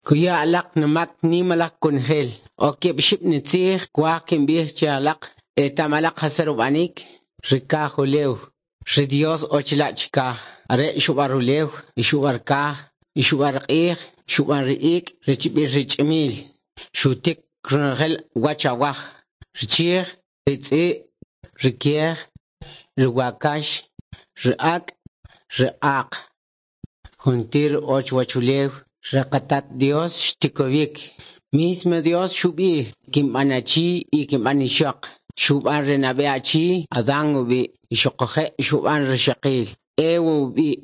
Kuya alaq numak nim alaq kunjel. O keb' ixib' nitzij kwaj kimb'ij che alaq etam alaq jas rub'anik ri kaj ulew. Ri Dios o chila' chikaj. Are' xub'an rulew, y xub'an kaj, y xub'an q'ij, xub'an ri ik' rechb'il ri ch'imil. Xutik ronojel wach awaj. Ri chij, ri tz'i', ri kiej, ri wakax, ri ak', ri aq. Juntir o chuwachulew ri qatat Dios xtikowik. Mismo Dios xub'ij kinb'an achi y kinb'an ixoq. Xub'an ri nab'e achi Adán ub'i' y xuquje' xub'an rixoqil Eva ub'i'.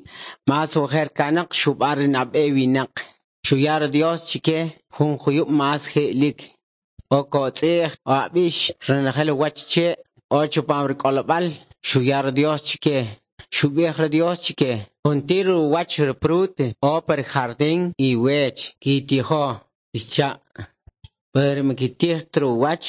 Mas ojer kanoq xub'an ri nab'e winaq. Xuya ri Dios chike jun juyub' mas je'lik. O kotz'i'j o ab'ix ronojel wach che' o chupam ri k'olb'al xuya ri Dios chike. Xub'ij ri Dios chike juntir uwach ri prut o pa ri jardín iwech kitijo xcha'. Pero mikitij ta uwach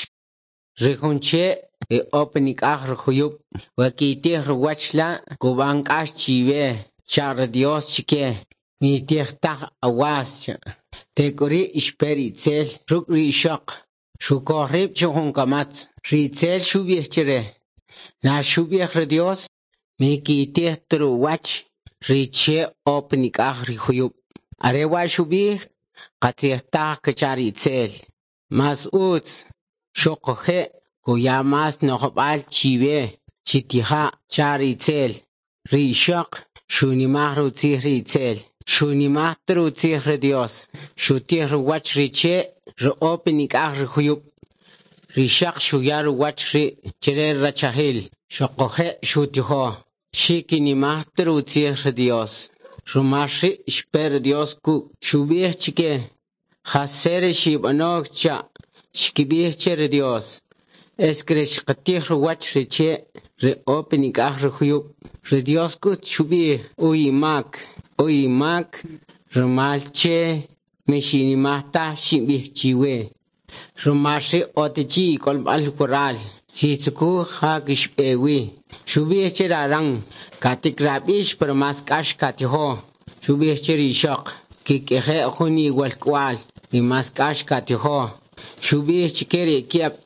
ri jun che' e o panik'aj ri juyub'. We kitij ruwach la' kub'an k'ax chiwe xcha' ri Dios chike. Mitij taj awas cha'. Tek'uri' xpe ri itzel ruk' ri ixoq. Xukoj rib' che jun kamatz. Ri itzel xub'ij chire. Na xub'ij ri Dios mikitij ta ruwach ri che' o panik'aj ri juyub'. Are wa' xub'ij qatzij taj kecha' ri itzel. Mas utz xuquje' kuya mas no'jb'al chiwe chitija' cha' ri itzel. Ri ixoq xunimaj rutzij ri itzel. Xunimaj ta rutzij ri Dios. Xutij ruwach ri che' ri o panik'aj ri juyub'. Ri xaq xuya ruwach ri chire rachajil. Xuquje' xutijo. Xikinimaj ta rutzij ri Dios. Rumal ri' xpe ri Dios kuk' xub'ij chike. Jasche ri xib'ano cha' xkib'ij che ri Dios. Es que xqatij ruwach ri che' ri o panik'aj ri juyub'. Ri Dios k'ut xub'ij uy imak rumal che mixinimaj taj xinb'ij chiwe. Rumal ri' otichi ik'olb'al waral. Chitzukuj ja kixb'e wi. Xub'ij che ri Adán katikrab'ix pero mas k'ax katijo. Xub'ij che ri ixoq kik'eje' jun iwalk'wal y mas k'ax katijo. Xub'ij chike ri kieb'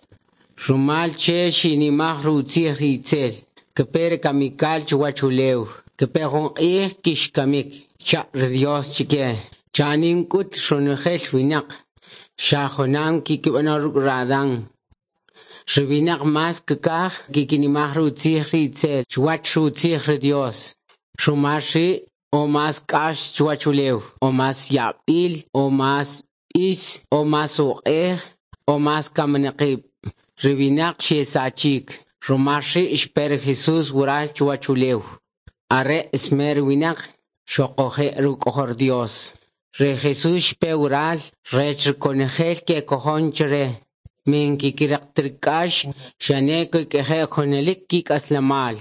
rumal che xinimaj rutzij ri itzel. Kepe ri kamikal chuwach ulew. Kepe jun q'ij kixkamik. Cha' ri Dios chike. Chanim k'ut ronojel winaq. Xa junam kikib'ano ruk' ri Adán. Ri winaq mas kikaj kikinimaj rutzij ri itzel chuwach rutzij ri Dios. Rumal ri' o mas k'ax chuwach ulew, o mas yab'il, o mas b'is, o mas uq'ej, o mas kaminaqib'. Ri winaq xesachik. Rumal ri' xpe ri Jesús waral chuwach ulew. Are' smer winaq xuquje' ruk'ojol Dios. Ri Jesús xpe waral rech rikonojel kekojon chire. Min kikiriq ta ri k'ax xane kik'eje' junalik kik'aslemal.